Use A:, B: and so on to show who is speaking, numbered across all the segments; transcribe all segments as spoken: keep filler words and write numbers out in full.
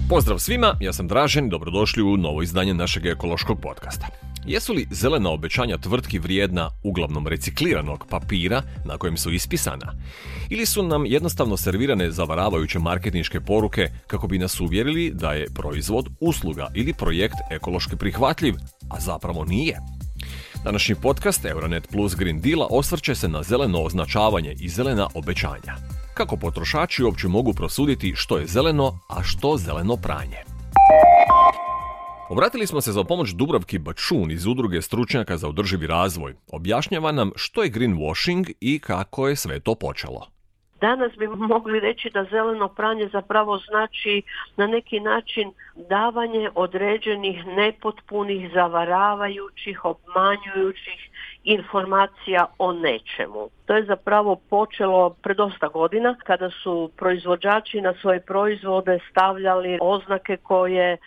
A: Pozdrav svima, ja sam Dražen i dobrodošli u novo izdanje našeg ekološkog podcasta. Jesu li zelena obećanja tvrtki vrijedna uglavnom recikliranog papira na kojem su ispisana? Ili su nam jednostavno servirane zavaravajuće marketinške poruke kako bi nas uvjerili da je proizvod, usluga ili projekt ekološki prihvatljiv, a zapravo nije? Današnji podcast Euronet Plus Green Deala osvrće se na zeleno označavanje i zelena obećanja. Kako potrošači uopće mogu prosuditi što je zeleno, a što zeleno pranje? Obratili smo se za pomoć Dubravki Bačun iz udruge stručnjaka za održivi razvoj. Objašnjava nam što je greenwashing i kako je sve to počelo.
B: Danas bi mogli reći da zeleno pranje zapravo znači na neki način davanje određenih nepotpunih, zavaravajućih, obmanjujućih informacija o nečemu. To je zapravo počelo pred dosta godina kada su proizvođači na svoje proizvode stavljali oznake koje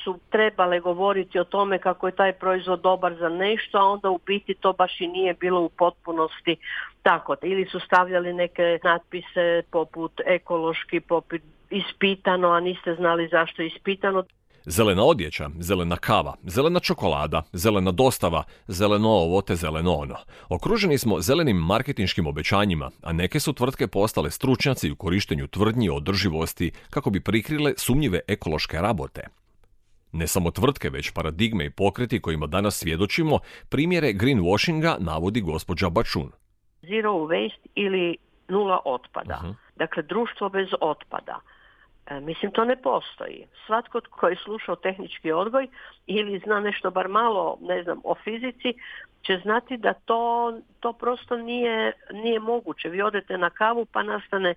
B: su trebale govoriti o tome kako je taj proizvod dobar za nešto, a onda u biti to baš i nije bilo u potpunosti tako. Ili su stavljali neke natpise poput ekološki, poput ispitano, a niste znali zašto je ispitano.
A: Zelena odjeća, zelena kava, zelena čokolada, zelena dostava, zeleno ovo te zeleno ono. Okruženi smo zelenim marketinškim obećanjima, a neke su tvrtke postale stručnjaci u korištenju tvrdnji o održivosti kako bi prikrile sumnjive ekološke rabote. Ne samo tvrtke, već paradigme i pokreti kojima danas svjedočimo, primjere greenwashinga navodi gospođa Bačun.
B: Zero waste ili nula otpada.
A: Uh-huh.
B: Dakle, društvo bez otpada. E, mislim, to ne postoji. Svatko tko je slušao tehnički odgoj ili zna nešto bar malo, ne znam, o fizici, će znati da to, to prosto nije, nije moguće. Vi odete na kavu pa nastane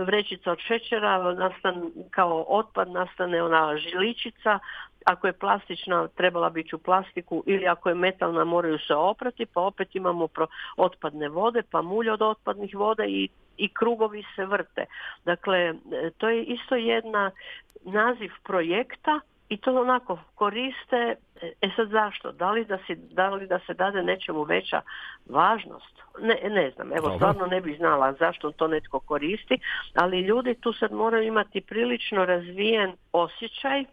B: vrećica od šećera, nastane kao otpad, nastane ona žiličica. Ako je plastična, trebala biti u plastiku, ili ako je metalna, moraju se oprati, pa opet imamo pro otpadne vode, pa mulj od otpadnih voda i, i krugovi se vrte. Dakle, to je isto jedna naziv projekta i to onako koriste. E sad zašto? Da li da, si, da li da se dade nečemu veća važnost? Ne, ne znam, evo stvarno ne bih znala zašto to netko koristi, ali ljudi tu sad moraju imati prilično razvijen osjećaj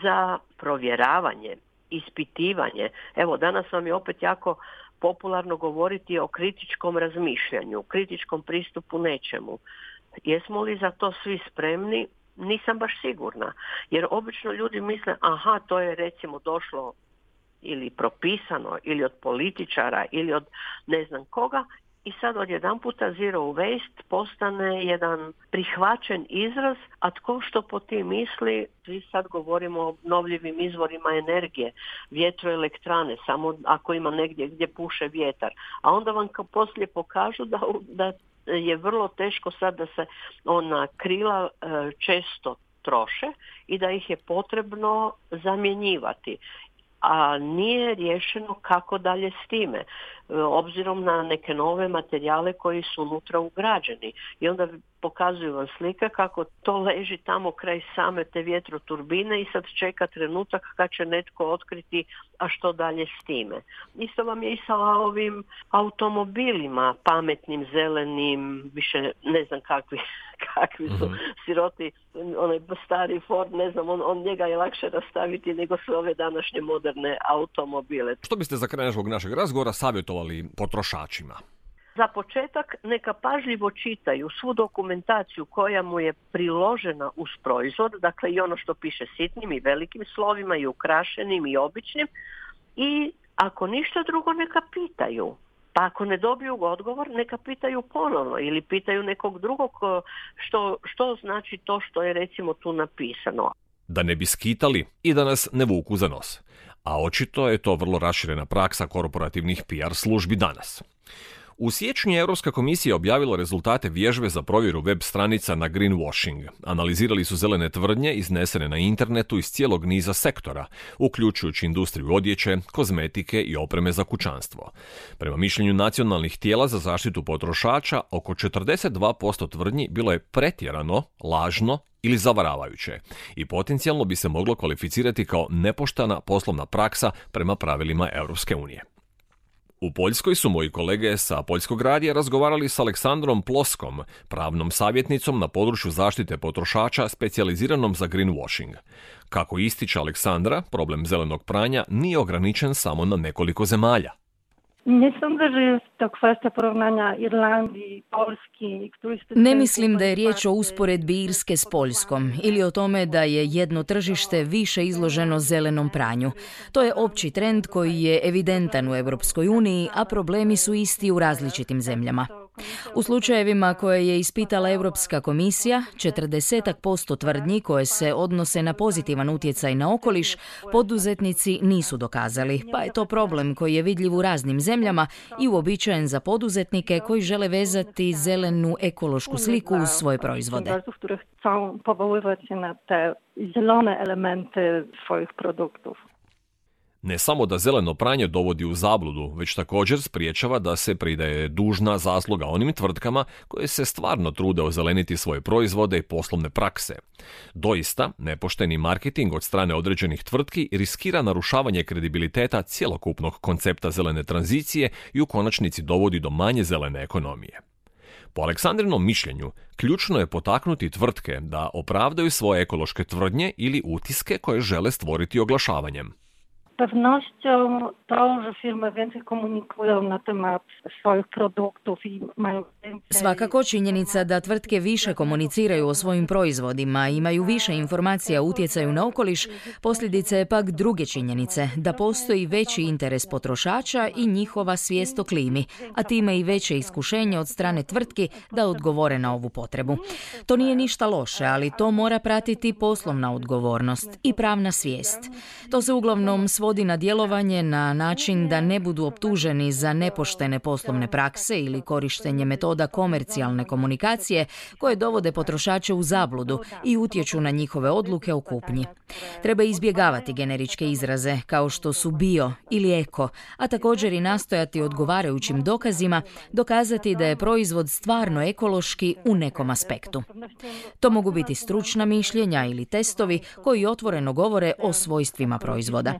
B: za provjeravanje, ispitivanje. Evo, danas vam je opet jako popularno govoriti o kritičkom razmišljanju, kritičkom pristupu nečemu. Jesmo li za to svi spremni? Nisam baš sigurna. Jer obično ljudi misle, aha, to je recimo došlo ili propisano, ili od političara, ili od ne znam koga, i sad odjedanputa zero waste postane jedan prihvaćen izraz, a tko što po tim misli, svi sad govorimo o obnovljivim izvorima energije, vjetroelektrane, samo ako ima negdje gdje puše vjetar. A onda vam poslije pokažu da, da je vrlo teško sad da se ona krila e, često troše i da ih je potrebno zamjenjivati. A nije riješeno kako dalje s time, obzirom na neke nove materijale koji su unutra ugrađeni. I onda pokazuju vam slike kako to leži tamo kraj same te vjetroturbine i sad čeka trenutak kad će netko otkriti, a što dalje s time. Isto vam je i sa ovim automobilima, pametnim, zelenim, više ne znam kakvi, kakvi su mm-hmm. siroti, onaj stari Ford, ne znam, on, on njega je lakše rastaviti nego sve ove današnje moderne automobile.
A: Što biste za kraj našeg razgovora savjetovali potrošačima?
B: Za početak neka pažljivo čitaju svu dokumentaciju koja mu je priložena uz proizvod, dakle i ono što piše sitnim i velikim slovima i ukrašenim i običnim, i ako ništa drugo neka pitaju. Pa ako ne dobiju odgovor, neka pitaju ponovno ili pitaju nekog drugog što, što znači to što je recimo tu napisano.
A: Da ne bi skitali i da nas ne vuku za nos. A očito je to vrlo raširena praksa korporativnih P R službi danas. U siječnju je Europska komisija objavila rezultate vježbe za provjeru web stranica na greenwashing. Analizirali su zelene tvrdnje iznesene na internetu iz cijelog niza sektora, uključujući industriju odjeće, kozmetike i opreme za kućanstvo. Prema mišljenju nacionalnih tijela za zaštitu potrošača, oko četrdeset dva posto tvrdnji bilo je pretjerano, lažno ili zavaravajuće i potencijalno bi se moglo kvalificirati kao nepoštena poslovna praksa prema pravilima Europske unije. U Poljskoj su moji kolege sa Poljskog radija razgovarali s Aleksandrom Ploskom, pravnom savjetnicom na području zaštite potrošača specijaliziranom za greenwashing. Kako ističe Aleksandra, problem zelenog pranja nije ograničen samo na nekoliko zemalja.
C: Nie sądzę, że jest to kwestia porównania Irlandii, Polski.
D: Ne mislim da je riječ o usporedbi Irske s Poljskom ili o tome da je jedno tržište više izloženo zelenom pranju. To je opći trend koji je evidentan u Europskoj uniji, a problemi su isti u različitim zemljama. U slučajevima koje je ispitala Europska komisija, četrdeset posto tvrdnji koje se odnose na pozitivan utjecaj na okoliš, poduzetnici nisu dokazali, pa je to problem koji je vidljiv u raznim zemljama i uobičajen za poduzetnike koji žele vezati zelenu ekološku sliku uz svoje proizvode.
C: Chcą powoływać się na te zielone elementy swoich produktów.
A: Ne samo da zeleno pranje dovodi u zabludu, već također spriječava da se pridaje dužna zasluga onim tvrtkama koje se stvarno trude ozeleniti svoje proizvode i poslovne prakse. Doista, nepošteni marketing od strane određenih tvrtki riskira narušavanje kredibiliteta cjelokupnog koncepta zelene tranzicije i u konačnici dovodi do manje zelene ekonomije. Po Aleksandrinom mišljenju, ključno je potaknuti tvrtke da opravdaju svoje ekološke tvrdnje ili utiske koje žele stvoriti oglašavanjem.
C: Pewnością to, że firmy więcej komunikują na temat swoich produktów i mają więcej...
D: Svakako činjenica da tvrtke više komuniciraju o svojim proizvodima i imaju više informacija o utjecaju na okoliš, posljedica je pak druge činjenice, da postoji veći interes potrošača i njihova svijest o klimi, a time i veće iskušenje od strane tvrtki da odgovore na ovu potrebu. To nije ništa loše, ali to mora pratiti poslovna odgovornost i pravna svijest. To se uglavnom svodi na djelovanje na način da ne budu optuženi za nepoštene poslovne prakse ili korištenje metoda komercijalne komunikacije koje dovode potrošače u zabludu i utječu na njihove odluke o kupnji. Treba izbjegavati generičke izraze kao što su bio ili eko, a također i nastojati odgovarajućim dokazima dokazati da je proizvod stvarno ekološki u nekom aspektu. To mogu biti stručna mišljenja ili testovi koji otvoreno govore o svojstvima proizvoda.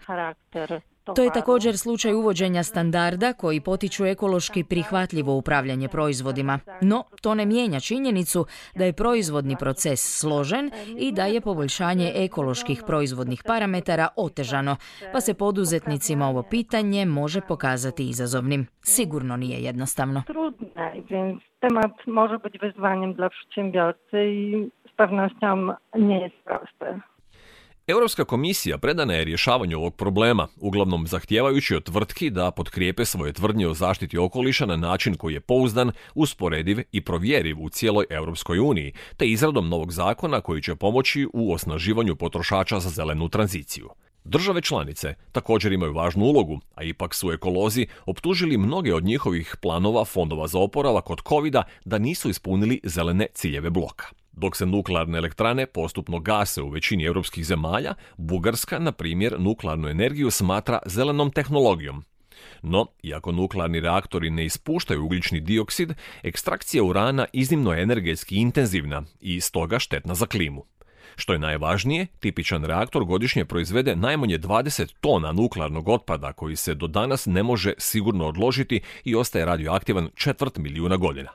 D: To je također slučaj uvođenja standarda koji potiču ekološki prihvatljivo upravljanje proizvodima, no to ne mijenja činjenicu da je proizvodni proces složen i da je poboljšanje ekoloških proizvodnih parametara otežano, pa se poduzetnicima ovo pitanje može pokazati izazovnim. Sigurno nije jednostavno.
C: Trudne, więc temat może być wyzwaniem dla przedsiębiorcy i z pewnością nie jest prosty.
A: Europska komisija predana je rješavanju ovog problema, uglavnom zahtijevajući od tvrtki da potkrijepe svoje tvrdnje o zaštiti okoliša na način koji je pouzdan, usporediv i provjeriv u cijeloj Europskoj uniji, te izradom novog zakona koji će pomoći u osnaživanju potrošača za zelenu tranziciju. Države članice također imaju važnu ulogu, a ipak su ekolozi optužili mnoge od njihovih planova fondova za oporavak od kovida da nisu ispunili zelene ciljeve bloka. Dok se nuklearne elektrane postupno gase u većini europskih zemalja, Bugarska, na primjer, nuklearnu energiju smatra zelenom tehnologijom. No, iako nuklearni reaktori ne ispuštaju ugljični dioksid, ekstrakcija urana iznimno je energetski intenzivna i stoga štetna za klimu. Što je najvažnije, tipičan reaktor godišnje proizvede najmanje dvadeset tona nuklearnog otpada koji se do danas ne može sigurno odložiti i ostaje radioaktivan četvrt milijuna godina.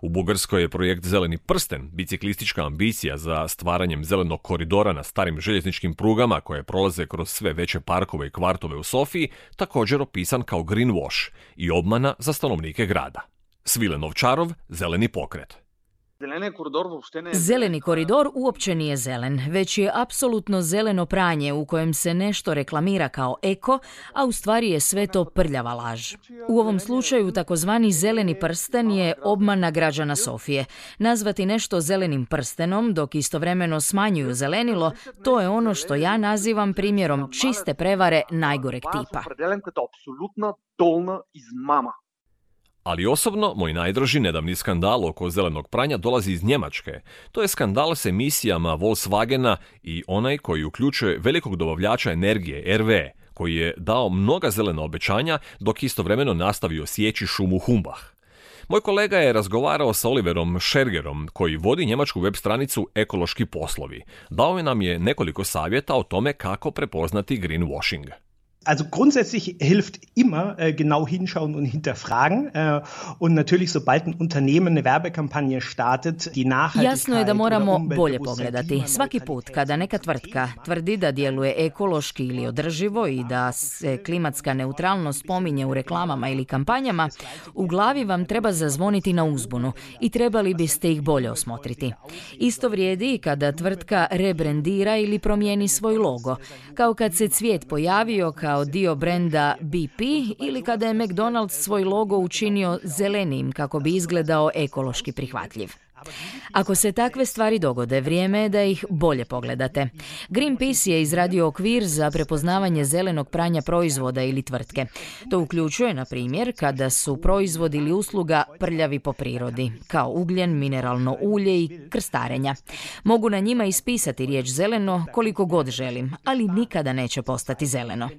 A: U Bugarskoj je projekt Zeleni prsten, biciklistička ambicija za stvaranjem zelenog koridora na starim željezničkim prugama koje prolaze kroz sve veće parkove i kvartove u Sofiji, također opisan kao greenwash i obmana za stanovnike grada. Svilen Ovčarov, Zeleni pokret.
D: Zeleni koridor uopće nije zelen, već je apsolutno zeleno pranje u kojem se nešto reklamira kao eko, a u stvari je sve to prljava laž. U ovom slučaju takozvani zeleni prsten je obmana građana Sofije. Nazvati nešto zelenim prstenom dok istovremeno smanjuju zelenilo, to je ono što ja nazivam primjerom čiste prevare najgoreg tipa.
A: Ali osobno, moj najdraži nedavni skandal oko zelenog pranja dolazi iz Njemačke. To je skandal s emisijama Volkswagena i onaj koji uključuje velikog dobavljača energije, R W E, koji je dao mnoga zelena obećanja dok istovremeno nastavio sjeći šumu Humbach. Moj kolega je razgovarao sa Oliverom Schergerom, koji vodi njemačku web stranicu Ekološki poslovi. Dao nam je nekoliko savjeta o tome kako prepoznati greenwashing.
E: Also grundsätzlich hilft immer äh, genau hinschauen und hinterfragen äh, und natürlich sobald ein Unternehmen eine Werbekampanje startet, die Nachhaltigkeit.
D: Jasno je da moramo bolje pogledati. Svaki put kada neka tvrtka tvrdi da djeluje ekološki ili održivo i da se klimatska neutralnost spominje u reklamama ili kampanjama, u glavi vam treba zazvoniti na uzbunu i trebali biste ih bolje osmotriti. Isto vrijedi i kada tvrtka rebrandira ili promijeni svoj logo, kao kad se cvijet pojavio kao dio brenda B P ili kada je McDonald's svoj logo učinio zelenijim kako bi izgledao ekološki prihvatljiv. Ako se takve stvari dogode, vrijeme je da ih bolje pogledate. Greenpeace je izradio okvir za prepoznavanje zelenog pranja proizvoda ili tvrtke. To uključuje, na primjer, kada su proizvod ili usluga prljavi po prirodi, kao ugljen, mineralno ulje i krstarenja. Mogu na njima ispisati riječ zeleno koliko god želim, ali nikada neće postati zeleno.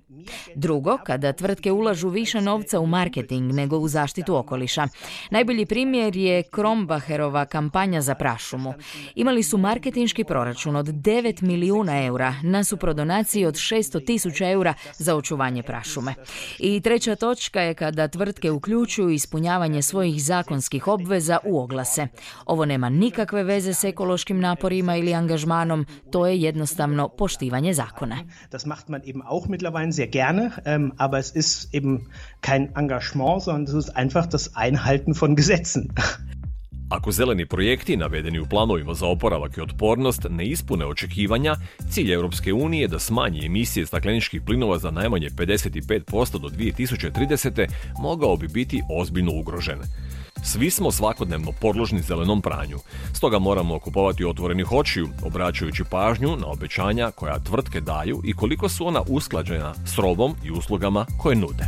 D: Drugo, kada tvrtke ulažu više novca u marketing nego u zaštitu okoliša. Najbolji primjer je Krombacherova kampanja za prašumu. Imali su marketinški proračun od devet milijuna eura nasuprot donaciji od šesto tisuća eura za očuvanje prašume. I treća točka je kada tvrtke uključuju ispunjavanje svojih zakonskih obveza u oglase. Ovo nema nikakve veze s ekološkim naporima ili angažmanom, to je jednostavno poštivanje zakona.
E: Das macht man eben auch mittlerweile sehr gerne, ähm, aber es ist eben kein Engagement, sondern es ist einfach das Einhalten von Gesetzen.
A: Ako zeleni projekti navedeni u planovima za oporavak i otpornost ne ispune očekivanja, cilj Europske unije je da smanji emisije stakleničkih plinova za najmanje pedeset pet posto do dvije tisuće tridesete mogao bi biti ozbiljno ugrožen. Svi smo svakodnevno podložni zelenom pranju, stoga moramo kupovati otvorenih očiju, obraćajući pažnju na obećanja koja tvrtke daju i koliko su ona usklađena s robom i uslugama koje nude.